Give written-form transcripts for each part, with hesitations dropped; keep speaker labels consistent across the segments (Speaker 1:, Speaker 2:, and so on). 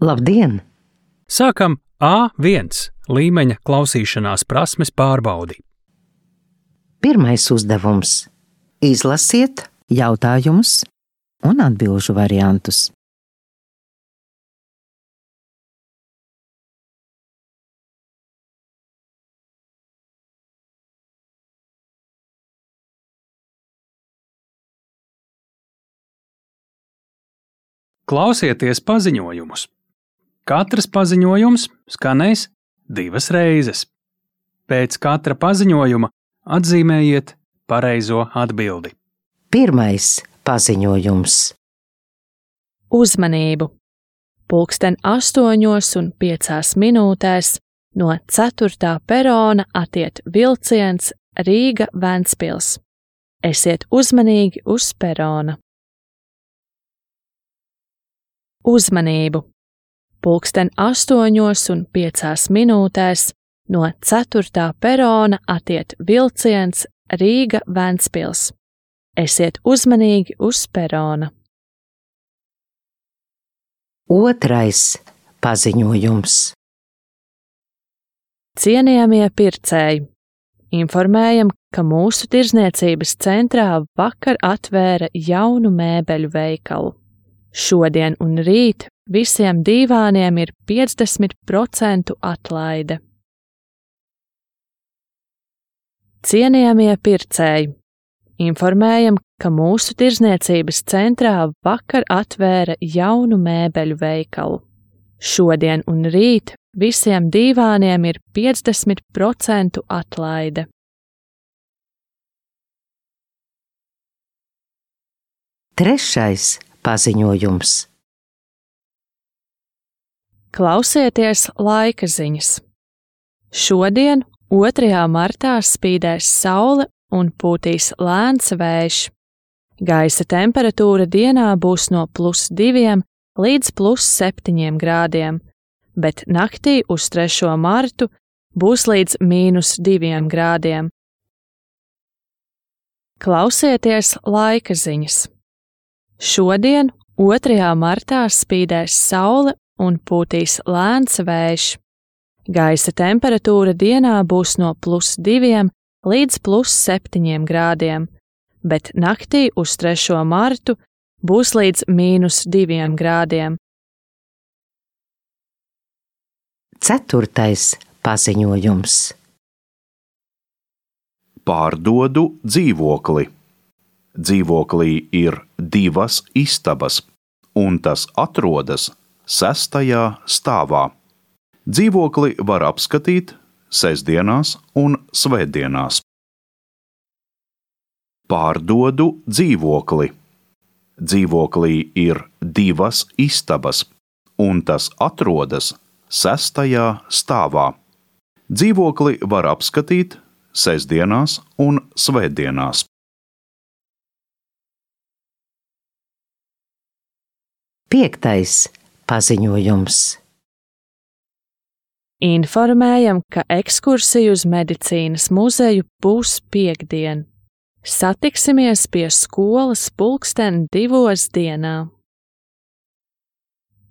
Speaker 1: Labdien!
Speaker 2: Sākam A1 līmeņa klausīšanās prasmes pārbaudi.
Speaker 1: Pirmais uzdevums – izlasiet
Speaker 3: jautājumus un atbilžu variantus.
Speaker 2: Klausieties paziņojumus. Katrs paziņojums skanēs 2 reizes. Pēc katra paziņojuma atzīmējiet pareizo atbildi.
Speaker 1: Pirmais paziņojums.
Speaker 4: Uzmanību! 8:05 no 4. perona attiet vilciens Rīga–Ventspils. Esiet uzmanīgi uz perona. Uzmanību! 8:05 no 4. perona attiet vilciens Rīga–Ventspils. Esiet uzmanīgi uz perona.
Speaker 1: Otrais paziņojums.
Speaker 4: Cienījamie pircēji! Informējam, ka mūsu tirdzniecības centrā vakar atvēra jaunu mēbeļu veikalu. Šodien un rīt visiem dīvāniem ir 50% atlaide. Cienījamie pircēji! Informējam, ka mūsu tirdzniecības centrā vakar atvēra jaunu mēbeļu veikalu. Šodien un rīt visiem dīvāniem ir 50% atlaide.
Speaker 1: Trešais paziņojums.
Speaker 4: Klausieties laika ziņas. Šodien, 2. martā, spīdēs saule un pūtīs lēns vējš. Gaisa temperatūra dienā būs no +2 līdz +7 grādiem, bet naktī uz 3. martu būs līdz -2 grādiem. Klausieties laika ziņas. Šodien, 2. martā, spīdēs saule un pūtīs lēns vējš. Gaisa temperatūra dienā būs no +2 līdz +7 grādiem, bet naktī uz 3. martu būs līdz -2 grādiem.
Speaker 1: Ceturtais paziņojums.
Speaker 5: Pārdodu dzīvokli. Dzīvoklī ir 2 istabas, un tas atrodas 6. stāvā. Dzīvokli var apskatīt sestdienās un svētdienās. Pārdodu dzīvokli. Dzīvoklī ir 2 istabas, un tas atrodas 6. stāvā. Dzīvokli var apskatīt sestdienās un svētdienās.
Speaker 1: Piektais paziņojums.
Speaker 4: Informējam, ka ekskursija uz medicīnas muzeju būs piektdien. Satiksimies pie skolas 2:00 dienā.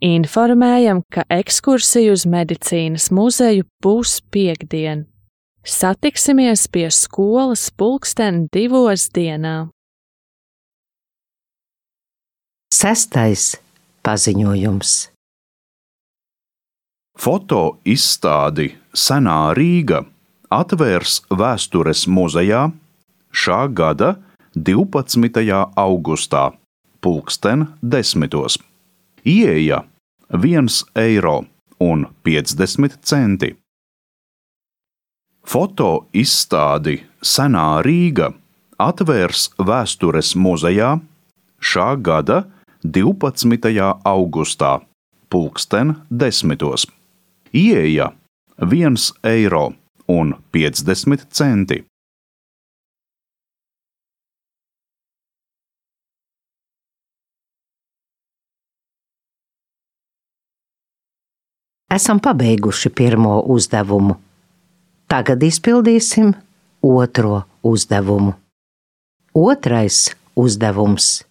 Speaker 4: Informējam, ka ekskursija uz medicīnas muzeju būs piektdien. Satiksimies pie skolas 2:00 dienā.
Speaker 1: Sestais paziņojums.
Speaker 5: Foto izstādi Senā Rīga atvērs Vēstures muzejā šā gada 12. augustā, 10:00. Ieeja €1,50. Foto izstādi Senā Rīga atvērs Vēstures muzejā šā gada 12. augustā, 10:00. Ieeja €1,50.
Speaker 1: Esam pabeiguši pirmo uzdevumu. Tagad izpildīsim otro uzdevumu. Otrais uzdevums.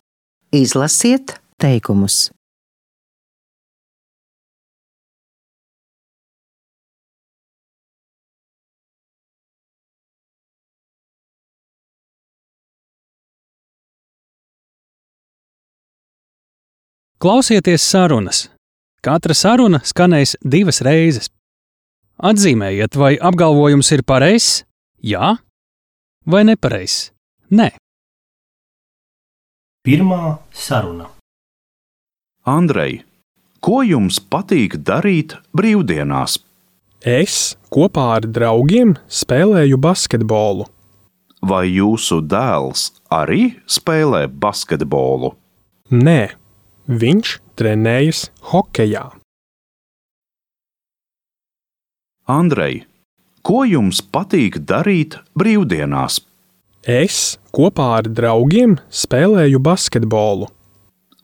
Speaker 1: Izlasiet
Speaker 3: teikumus.
Speaker 2: Klausieties sarunas. Katra saruna skanēs 2 reizes. Atzīmējiet, vai apgalvojums ir pareizs, jā, vai nepareizs, nē.
Speaker 6: Pirmā saruna.
Speaker 5: Andrej, ko jums patīk darīt brīvdienās?
Speaker 7: Es kopā ar draugiem spēlēju basketbolu.
Speaker 5: Vai jūsu dēls arī spēlē basketbolu?
Speaker 7: Nē, viņš trenējas hokejā.
Speaker 5: Andrej, ko jums patīk darīt brīvdienās?
Speaker 7: Es kopā ar draugiem spēlēju basketbolu.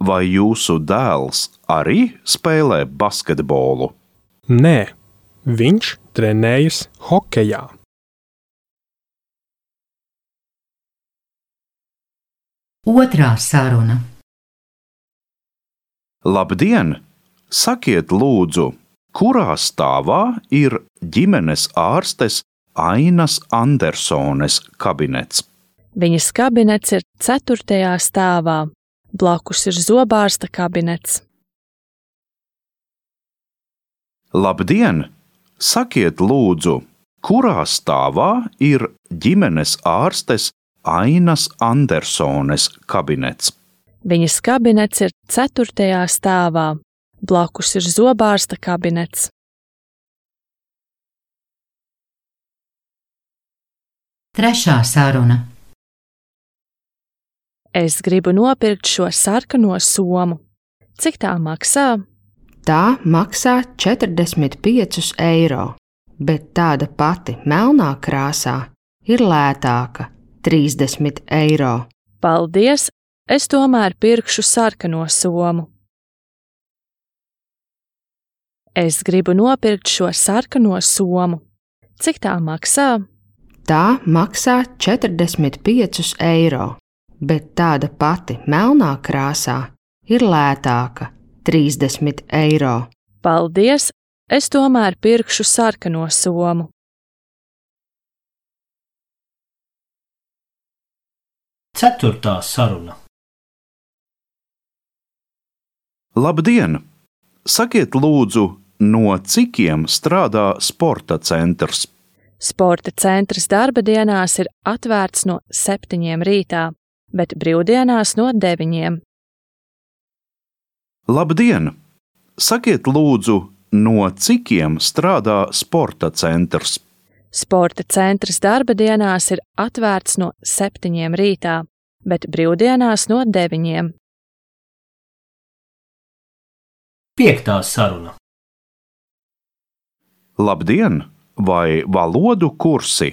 Speaker 5: Vai jūsu dēls arī spēlē basketbolu?
Speaker 7: Nē, viņš trenējas hokejā.
Speaker 8: Otrā saruna.
Speaker 5: Labdien! Sakiet lūdzu, kurā stāvā ir ģimenes ārstes Ainas Andersones kabinets?
Speaker 4: Viņas kabinets ir 4. stāvā, blakus ir zobārsta kabinets.
Speaker 5: Labdien! Sakiet lūdzu, kurā stāvā ir ģimenes ārstes Ainas Andersones kabinets?
Speaker 4: Viņas kabinets ir 4. stāvā, blakus ir zobārsta kabinets.
Speaker 8: Trešā saruna.
Speaker 4: Es gribu nopirkt šo sarkano somu. Cik tā maksā?
Speaker 9: Tā maksā 45 eiro, bet tāda pati melnā krāsā ir lētāka – 30 eiro.
Speaker 4: Paldies! Es tomēr pirkšu sarkano somu. Es gribu nopirkt šo sarkano somu. Cik tā maksā?
Speaker 9: Tā maksā 45 eiro, bet tāda pati melnā krāsā ir lētāka – 30 eiro.
Speaker 4: Paldies! Es tomēr pirkšu sarkano somu.
Speaker 6: Ceturtā saruna.
Speaker 5: Labdien! Sakiet lūdzu, no cikiem strādā sporta centrs?
Speaker 4: Sporta centrs darba dienās ir atvērts no 7 rītā, bet brīvdienās no 9.
Speaker 5: Labdien! Sakiet lūdzu, no cikiem strādā sporta centrs?
Speaker 4: Sporta centrs darba dienās ir atvērts no 7 rītā, bet brīvdienās no 9.
Speaker 6: Piektā saruna.
Speaker 5: Labdien! Vai valodu kursi?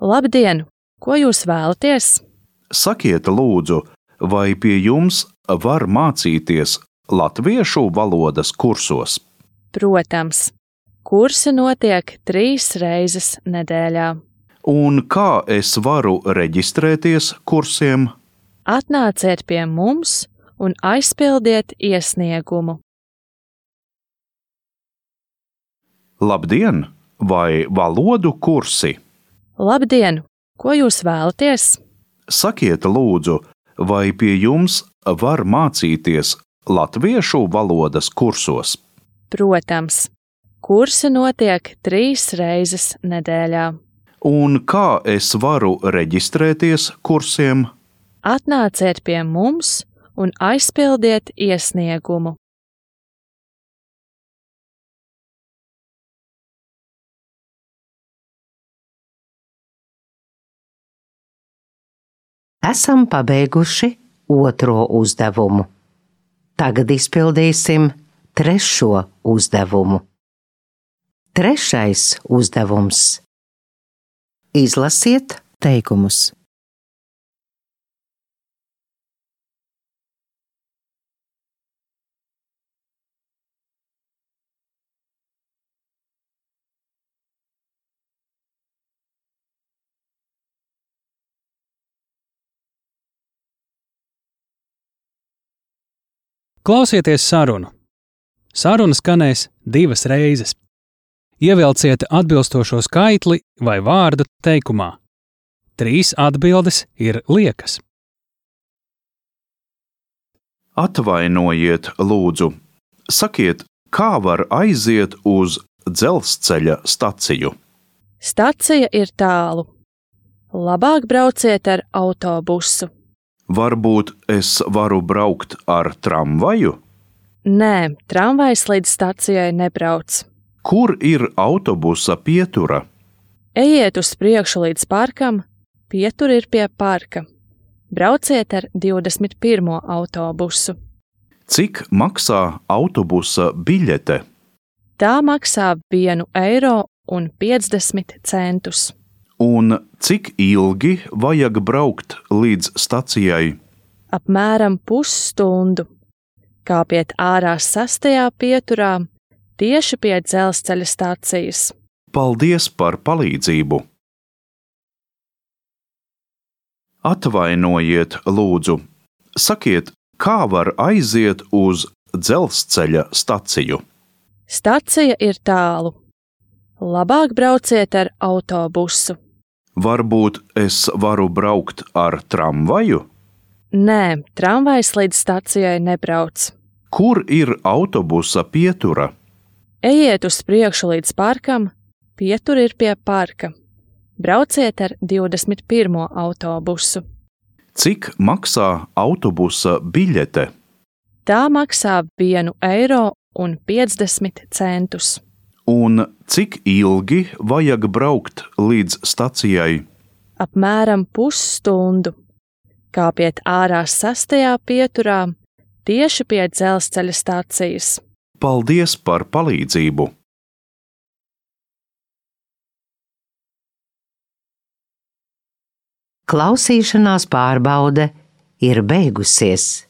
Speaker 4: Labdien! Ko jūs vēlaties?
Speaker 5: Sakiet lūdzu, vai pie jums var mācīties latviešu valodas kursos?
Speaker 4: Protams, kursi notiek 3 reizes nedēļā.
Speaker 5: Un kā es varu reģistrēties kursiem?
Speaker 4: Atnāciet pie mums un aizpildiet iesniegumu.
Speaker 5: Labdien! Vai valodu kursi?
Speaker 4: Labdien! Ko jūs vēlaties?
Speaker 5: Sakiet lūdzu, vai pie jums var mācīties latviešu valodas kursos?
Speaker 4: Protams, kursi notiek 3 reizes nedēļā.
Speaker 5: Un kā es varu reģistrēties kursiem?
Speaker 4: Atnāciet pie mums un aizpildiet iesniegumu.
Speaker 1: Esam pabeiguši 2. uzdevumu. Tagad izpildīsim 3. uzdevumu. 3. uzdevums. Izlasiet
Speaker 3: teikumus.
Speaker 2: Klausieties sarunu. Saruna skanēs 2 reizes. Ievilciet atbilstošo skaitli vai vārdu teikumā. 3 atbildes ir liekas.
Speaker 5: Atvainojiet, lūdzu, sakiet, kā var aiziet uz dzelzceļa staciju?
Speaker 4: Stacija ir tālu. Labāk brauciet ar autobusu.
Speaker 5: Varbūt es varu braukt ar tramvaju?
Speaker 4: Nē, tramvajs līdz stacijai nebrauc.
Speaker 5: Kur ir autobusa pietura?
Speaker 4: Ejiet uz priekšu līdz parkam, pietura ir pie parka. Brauciet ar 21. autobusu.
Speaker 5: Cik maksā autobusa biļete?
Speaker 4: Tā maksā 1,50 eiro.
Speaker 5: Un cik ilgi vajag braukt līdz stacijai?
Speaker 4: Apmēram pusstundu. Kāpiet ārā 6. pieturā, tieši pie dzelzceļa stacijas.
Speaker 5: Paldies par palīdzību! Atvainojiet, lūdzu, sakiet, kā var aiziet uz dzelzceļa staciju?
Speaker 4: Stacija ir tālu. Labāk brauciet ar autobusu.
Speaker 5: Varbūt es varu braukt ar tramvaju?
Speaker 4: Nē, tramvajs līdz stacijai nebrauc.
Speaker 5: Kur ir autobusa pietura?
Speaker 4: Ejiet uz priekšu līdz parkam, pietura ir pie parka. Brauciet ar 21. autobusu.
Speaker 5: Cik maksā autobusa biļete?
Speaker 4: Tā maksā 1,50 eiro. Un
Speaker 5: cik ilgi vajag braukt līdz stacijai?
Speaker 4: Apmēram pusstundu. Kāpiet ārā 6. pieturā, tieši pie dzelzceļa stacijas.
Speaker 5: Paldies par palīdzību!
Speaker 1: Klausīšanās pārbaude ir beigusies.